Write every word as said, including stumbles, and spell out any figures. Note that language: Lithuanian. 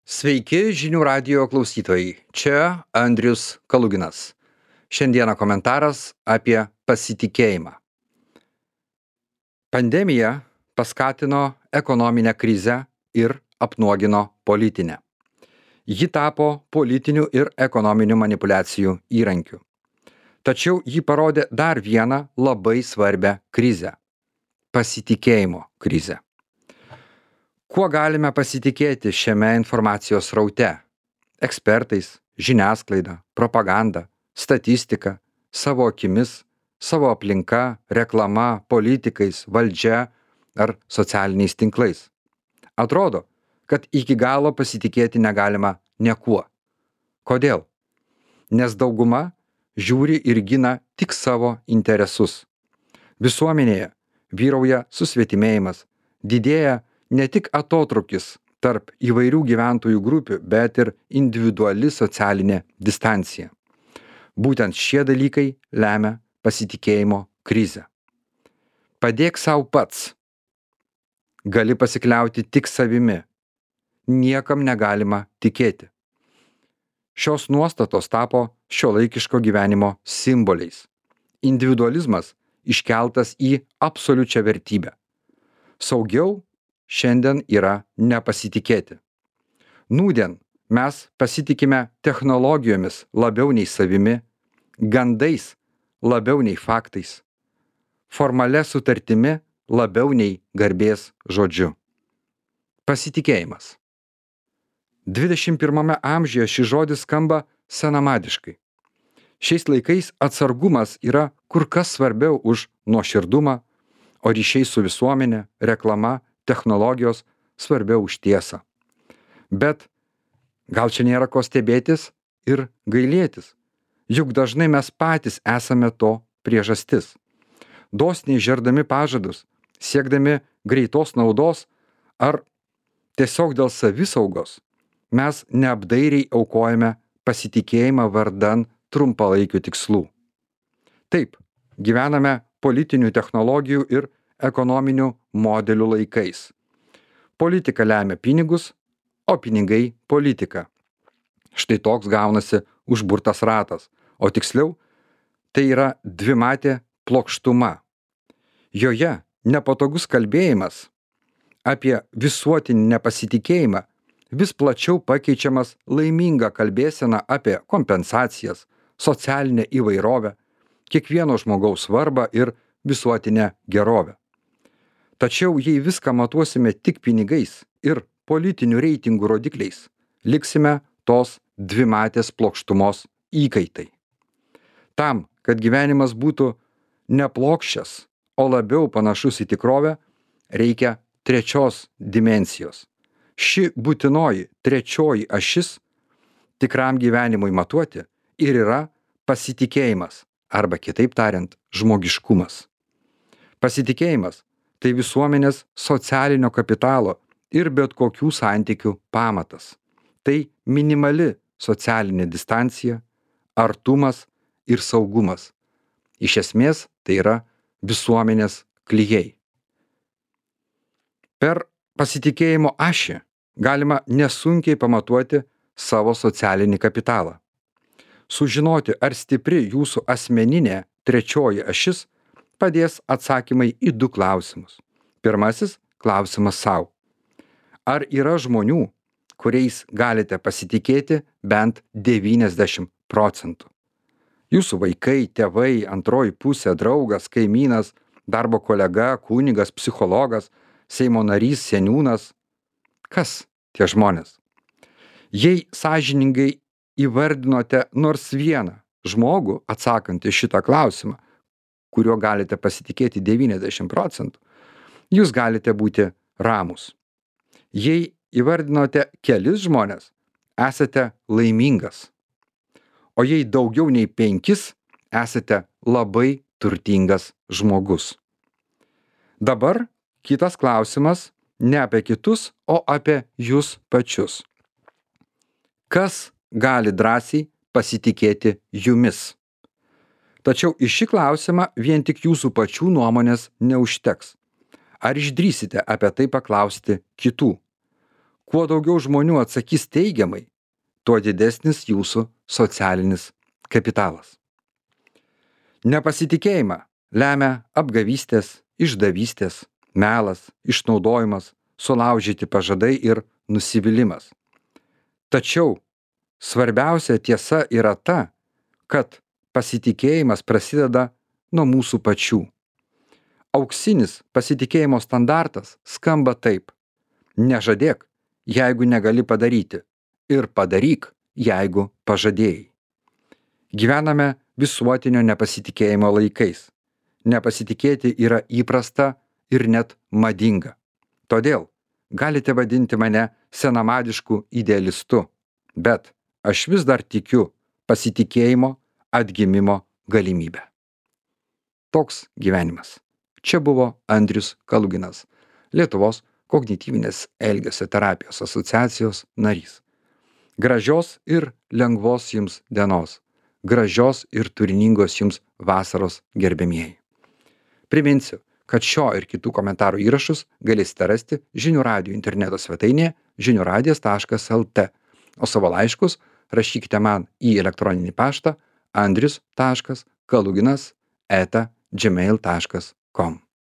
Sveiki žinių radijo klausytojai, čia Andrius Kaluginas. Šiandieną komentaras apie pasitikėjimą. Pandemija paskatino ekonominę krizę ir apnuogino politinę. Ji tapo politinių ir ekonominių manipuliacijų įrankiu. Tačiau ji parodė dar vieną labai svarbią krizę – pasitikėjimo krizę. Kuo galime pasitikėti šiame informacijos sraute? Ekspertais, žiniasklaida, propaganda, statistika, savo akimis, savo aplinka, reklama, politikais, valdžia ar socialiniais tinklais. Atrodo, kad iki galo pasitikėti negalima niekuo. Kodėl? Nes dauguma žiūri ir gina tik savo interesus. Visuomenėje vyrauja susvetimėjimas, didėja ne tik atotrūkis tarp įvairių gyventojų grupių, bet ir individuali socialinė distancija. Būtent šie dalykai lemia pasitikėjimo krizę. Padėk sau pats. Gali pasikliauti tik savimi. Niekam negalima tikėti. Šios nuostatos tapo šiuolaikiško gyvenimo simboliais. Individualizmas iškeltas į absoliučią vertybę. Saugiau šiandien yra nepasitikėti. Nūdien mes pasitikime technologijomis labiau nei savimi, gandais labiau nei faktais, formalia sutartimi labiau nei garbės žodžiu. Pasitikėjimas. dvidešimt pirmame amžiuje šis žodis skamba senamadiškai. Šiais laikais atsargumas yra kur kas svarbiau už nuoširdumą, o ryšiai su visuomenė, reklama, technologijos svarbiau už tiesą. Bet gal čia nėra ko stebėtis ir gailėtis, juk dažnai mes patys esame to priežastis. Dosniai žerdami pažadus, siekdami greitos naudos ar tiesiog dėl savisaugos, mes neapdairiai aukojame pasitikėjimą vardan trumpalaikių tikslų. Taip, gyvename politinių technologijų ir ekonominių modelių laikais. Politika lemia pinigus, o pinigai politiką. Štai toks gaunasi užburtas ratas, o tiksliau, tai yra dvimatė plokštuma. Joje nepatogus kalbėjimas apie visuotinį nepasitikėjimą vis plačiau pakeičiamas laiminga kalbėsena apie kompensacijas, socialinę įvairovę, kiekvieno žmogaus svarbą ir visuotinę gerovę. Tačiau jei viską matuosime tik pinigais ir politinių reitingų rodikliais, liksime tos dvimatės plokštumos įkaitai. Tam, kad gyvenimas būtų neplokščias, o labiau panašus į tikrovę, reikia trečios dimensijos. Ši būtinoji trečioji ašis tikram gyvenimui matuoti ir yra pasitikėjimas, arba kitaip tariant, žmogiškumas. Pasitikėjimas tai visuomenės socialinio kapitalo ir bet kokių santykių pamatas. Tai minimali socialinė distancija, artumas ir saugumas. Iš esmės tai yra visuomenės klijai. Per pasitikėjimo ašį galima nesunkiai pamatuoti savo socialinį kapitalą. Sužinoti, ar stipri jūsų asmeninė trečioji ašis padės atsakymai į du klausimus. Pirmasis klausimas sau. Ar yra žmonių, kuriais galite pasitikėti bent devyniasdešimt procentų? Jūsų vaikai, tėvai, antroji pusė, draugas, kaimynas, darbo kolega, kunigas, psichologas, Seimo narys, seniūnas. Kas tie žmonės? Jei sąžiningai įvardinote nors vieną žmogų atsakantį šitą klausimą, kuriuo galite pasitikėti devyniasdešimt procentų, jūs galite būti ramūs. Jei įvardinote kelis žmonės, esate laimingas. O jei daugiau nei penkis, esate labai turtingas žmogus. Dabar kitas klausimas ne apie kitus, o apie jūs pačius. Kas gali drąsiai pasitikėti jumis? Tačiau į šį klausimą vien tik jūsų pačių nuomonės neužteks. Ar išdrįsite apie tai paklausti kitų? Kuo daugiau žmonių atsakys teigiamai, tuo didesnis jūsų socialinis kapitalas. Nepasitikėjimą lemia apgavystės, išdavystės, melas, išnaudojimas, sulaužyti pažadai ir nusivylimas. Tačiau svarbiausia tiesa yra ta, kad pasitikėjimas prasideda nuo mūsų pačių. Auksinis pasitikėjimo standartas skamba taip: nežadėk, jeigu negali padaryti, ir padaryk, jeigu pažadėjai. Gyvename visuotinio nepasitikėjimo laikais. Nepasitikėti yra įprasta ir net madinga. Todėl galite vadinti mane senamadišku idealistu, bet aš vis dar tikiu pasitikėjimo atgimimo galimybę. Toks gyvenimas. Čia buvo Andrius Kaluginas, Lietuvos kognityvinės elgesio terapijos asociacijos narys. Gražios ir lengvos jums dienos. Gražios ir turiningos jums vasaros, gerbiamieji. Priminsiu, kad šio ir kitų komentarų įrašus galėsite rasti Žinių radijo interneto svetainėje žinių radijas taškas el tė, o savo laiškus rašykite man į elektroninį paštą andrius taškas kaluginas eta gmail taškas com.